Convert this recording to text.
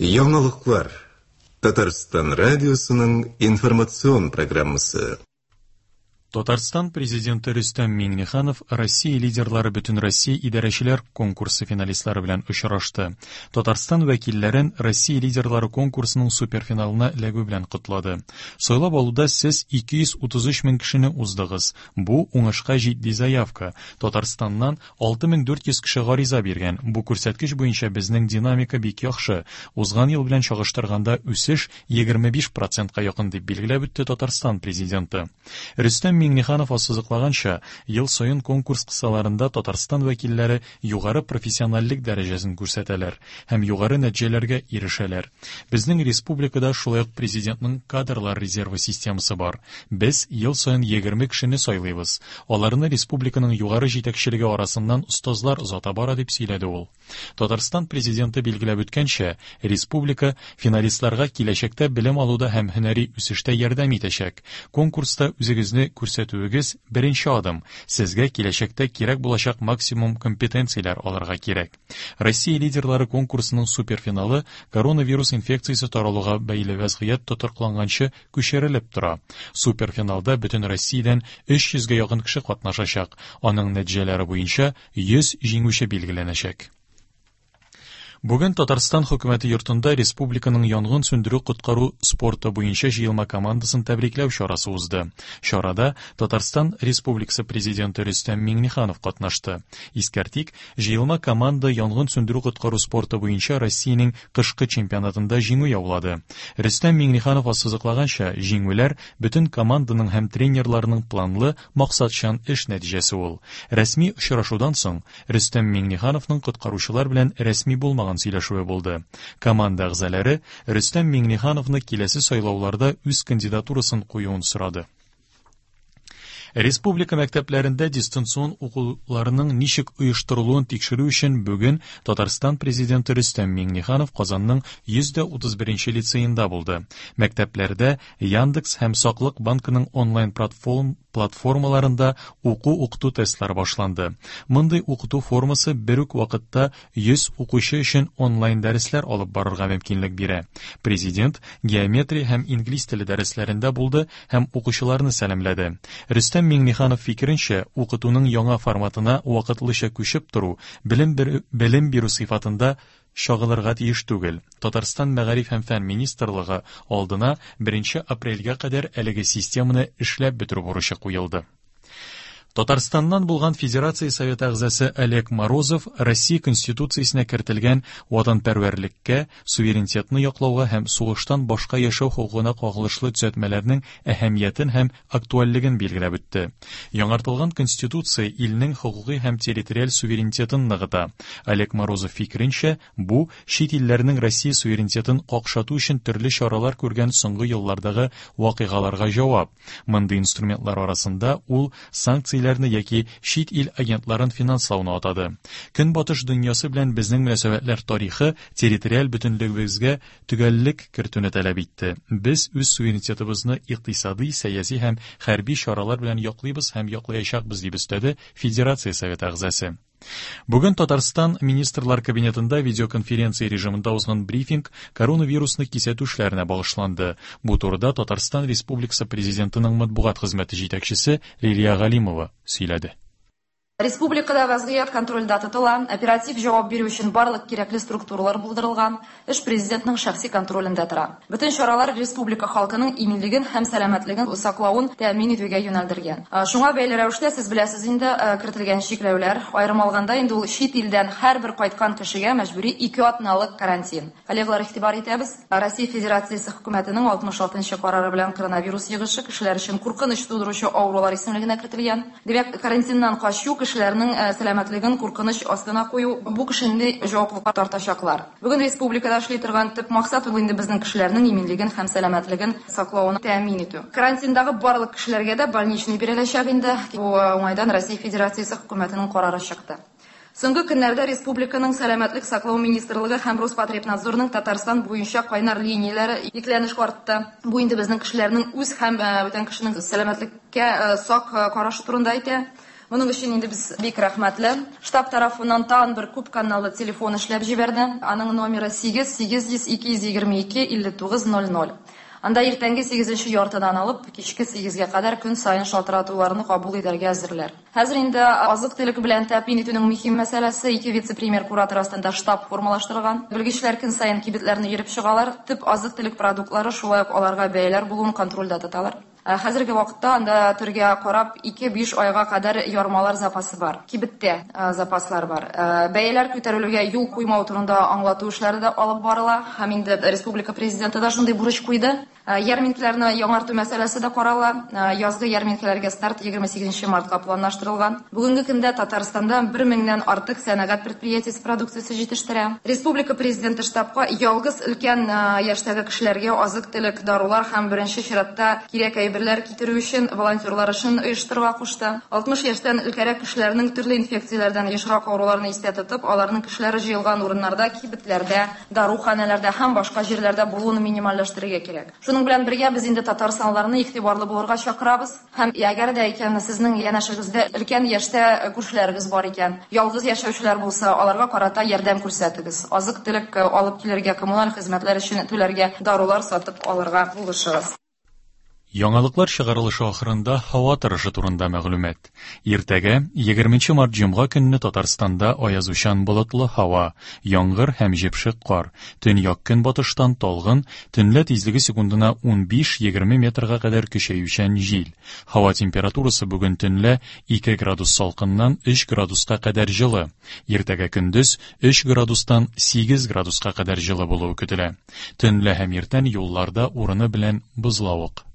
Яңалыклар. Татарстан радиосының информацион программасы. Татарстан Президенты Рөстәм Миңнеханов Россия лидерлары Бөтенроссия идарәчеләр конкурсы финалистлары белән очрашты. Татарстан вәкилләрен Россия лидерлары конкурсының суперфиналына эләгү белән котлады. Сайлап алуда сез 233 мең кешене уздыгыз. Бу уңышка җитди заявка. Татарстаннан 6400 кеше гариза биргән. Бу күрсәткеч буенча безнең динамика бик яхшы. Узган ел белән чагыштырганда үсеш 25 процентка якын, дип билгеләп үтте Татарстан Президенты. Рөстәм Миңнеханов ассызыклаганча, ел саен конкурс кысаларында Татарстан вәкилләре югары профессиональлек дәрәҗәсен күрсәтәләр һәм югары нәтиҗәләргә ирешәләр. Безнең республикада шулай ук Президентның кадрлар резервы системасы бар. Без ел саен 20 кешене сайлыйбыз. Аларны республиканың югары җитәкчелеге арасыннан остазлар озата бара, дип сөйләде ул. Татарстан Президенты билгеләп үткәнчә, республика финалистларга киләчәктә белем алуда һәм һөнәри үсештә ярдәм итәчәк. Конкурста үзегезне күрсәтүегез беренче адым. Сезгә киләчәктә кирәк булачак максимум компетенцияләр алырга кирәк. Россия лидерлары конкурсының суперфиналы коронавирус инфекциясе таралуга бәйле вәзгыять тотрыкланганчы күчерелеп тора. Суперфиналда бөтен Россиядән 300 гә якын кеше катнашачак. Аның нәтиҗәләре буенча 100 җиңүче билгеләнәчәк. Бүген Татарстан хөкүмәте йортында республиканың янгын сүндерү-коткару спорты буенча җыелма командасын тәбрикләү чарасы узды. Чарада Татарстан Республикасы Президенты Рөстәм Миңнеханов катнашты. Искәртик, җыелма команда янгын сүндерү-коткару спорты буенча Россиянең кышкы чемпионатында җиңү яулады. Рөстәм Миңнеханов ассызыклаганча, җиңүләр бөтен команданың һәм тренерларның планлы, максатчан эш нәтиҗәсе ул. Рәсми очрашудан соң, Рөстәм Миңнехановның коткаручылар белән рәсми булмаган сөйләшүе булды. Команда әгъзалары Рөстәм Миңнехановны киләсе сайлауларда үз кандидатурасын куюын сорады. Республика мәктәпләрендә дистанцион укуларның ничек оештырылуын тикшерү өчен бүген Татарстан Президенты Рөстәм Миңнеханов Казанның 131 нче лицеенда булды. Мәктәпләрдә Яндекс һәм Саклык банкының онлайн платформаларында уку-укыту тестлары башланды. Мондый укыту формасы бер үк вакытта 100 укучы өчен онлайн дәресләр алып барырга мөмкинлек бирә. Президент геометрия һәм инглиз теле дәресләрендә булды һәм укучыларны сәламләде. Рөстәм Миңнеханов фикеренчә, укытуның яңа форматына вакытлыча күчеп тору белем бирү сыйфатында чагылырга тиеш түгел. Татарстан Мәгариф һәм фән министрлыгы алдына беренче апрельгә кадәр әлеге системаны эшләп бетерү бурычы куелды. Татарстаннан булган Федерация Советы әгъзасы Олег Морозов Россия Конституциясенә кертелгән ватанпәрвәрлеккә, суверенитетны яклауга һәм сугыштан башка яшәү хокукына кагылышлы төзәтмәләрнең әһәмиятен һәм актуальлеген билгеләп үтте. Яңартылган Конституция илнең хокукый һәм территориаль суверенитетын ныгыта. Олег Морозов фикеренчә, бу, чит илләрнең Россия суверенитетын какшату өчен төрле чаралар күргән соңгы еллардагы вакыйгаларга җавап. Мондый инструментлар арасында ул санкцияләрне яки чит ил агентларын финанслауны атады. Көнбатыш дөньясы белән безнең мөнәсәбәтләр тарихы территориаль бөтенлегебезгә төгәллек кертүне таләп итте. Без үз суверенитетыбызны икътисадый, сәяси һәм хәрби чаралар белән яклыйбыз һәм яклаячакбыз, дип өстәде Федерация Советы әгъзасы. Бүген Татарстан Министрлар Кабинетында видеоконференция режимында узган брифинг коронавирусны кисәтү эшләренә багышланды. Бу турыда Татарстан Республикасы Президентының матбугат хезмәте җитәкчесе Лилия Галимова сөйләде. Республикада вәзгыять контрольдә тотыла, оператив җавап бирү өчен барлык кирәкле структуралар булдырылган, эш Президентның шәхси контролендә тора. Бөтен чаралар республика халкының иминлеген һәм сәламәтлеген саклавын тәэмин итүгә юнәлдергән. Шуңа бәйле рәвештә, сез беләсез инде, кертелгән чикләүләр, аерым алганда, инде ул чит илдән һәрбер кайткан кешегә мәҗбүри ике атналык карантин. Коллегалар, игътибар итәбез, Россия Федерациясе Хөкүмәтенең 66 нчы карары белән коронавирус йогышы кешеләр өчен куркыныч тудыручы авырулар исемлегенә кертелгән. Димәк, карантиннан качу, кешеләрнең сәламәтлеген куркыныч астына кую, бу кешене җаваплылыкка тартачаклар. Бүген республикада эшли торган төп максат, ул инде безнең кешеләрнең иминлеген һәм сәламәтлеген саклавын тәэмин итү. Карантиндагы барлык кешеләргә дә больничный биреләчәк инде. Бу уңайдан Россия Федерациясе Хөкүмәтенең карары чыкты. Соңгы көннәрдә республиканың Сәламәтлек саклау министрлыгы һәм Роспотребнадзорның Татарстан буенча кайнар линияләре йөкләнеш артты. Бу инде безнең кешеләрнең үз һәм бүтән кешенең сәламәтлеккә сак карашы турында әйтә. Моның өчен инде без бик рәхмәтле. Штаб тарафыннан тагын бер күп каналлы телефон эшләп җибәрде. Аның номеры 8 800 222 59 00. Анда иртәнге 8 яртыдан алып, кичке 8-гә кадәр көн саен шалтыратуларны кабул итәргә әзерләр. Хәзер инде азык-төлек белән тәэмин итүнең мөһим мәсьәләсе ике вице-премьер куратор астында штаб формалаштырган. Белгечләр көн саен кибетләрне йөреп чыгалар, төп азык-төлек продуктлары, шулай ук аларга бәяләр булуын контрольдә тоталар. Хәзерге вакытта анда төргә карап 2-5 айга кадәр ярмалар запасы бар. Кибеттә запаслар бар. Бәяләр күтәрелүгә юл куймау турында аңлату эшләре дә алып барыла һәм инде республика президенты да шундый бурыч куйды. Ярминкәләрне яңарту мәсьәләсе дә карала. Язгы ярминкәләргә старт 28 мартка планлаштырылган. Бүгенге көндә Татарстанда 1000-нән артык сәнәгать предприятиесе продукциясе җитештерә. Республика президенты штабка ялгыз өлкән яшьтәге кешеләргә азык-төлек, дарулар һәм беренче чиратта кирәк әйберләр китерү өчен волонтерлар эшен оештырырга кушты. 60 яшьтән өлкәнрәк кешеләрнең төрле инфекцияләрдән ешрак авыруларын истә тотып, аларның кешеләр җыелган урыннарда, кибетләрдә, даруханәләрдә һәм башка җирләрдә булуын минимальләштерергә кирәк. Шуның белән бергә без инде татарстанлыларны игътибарлы булырга чакырабыз. Һәм әгәр дә икән сезнең янәшәгездә өлкән яшьтә күршеләрегез бар икән, ялгыз яшәүчеләр булса, аларга карата ярдәм күрсәтегез. Азык-төлек алып килергә, коммуналь хезмәтләр өчен түләргә, дарулар сатып алырга булышыгыз. Яңалыклар чыгарылышы ахырында һава торышы турында мәгълүмат. Иртәгә, 20 март җомга көнне Татарстанда аязучан болытлы һава, яңгыр һәм җепшек кар, төньяк көнбатыштан талгын, төнлә тизлеге секундына 15-20 метрга кадәр көчәючән җил. Һава температурасы бүген төнлә 2 градус салкыннан 3 градуска кадәр җылы. Иртәгә көндез 3 градустан 8 градуска кадәр җылы булуы көтелә. Төнлә һәм иртән юлларда урыны белән бозлавык.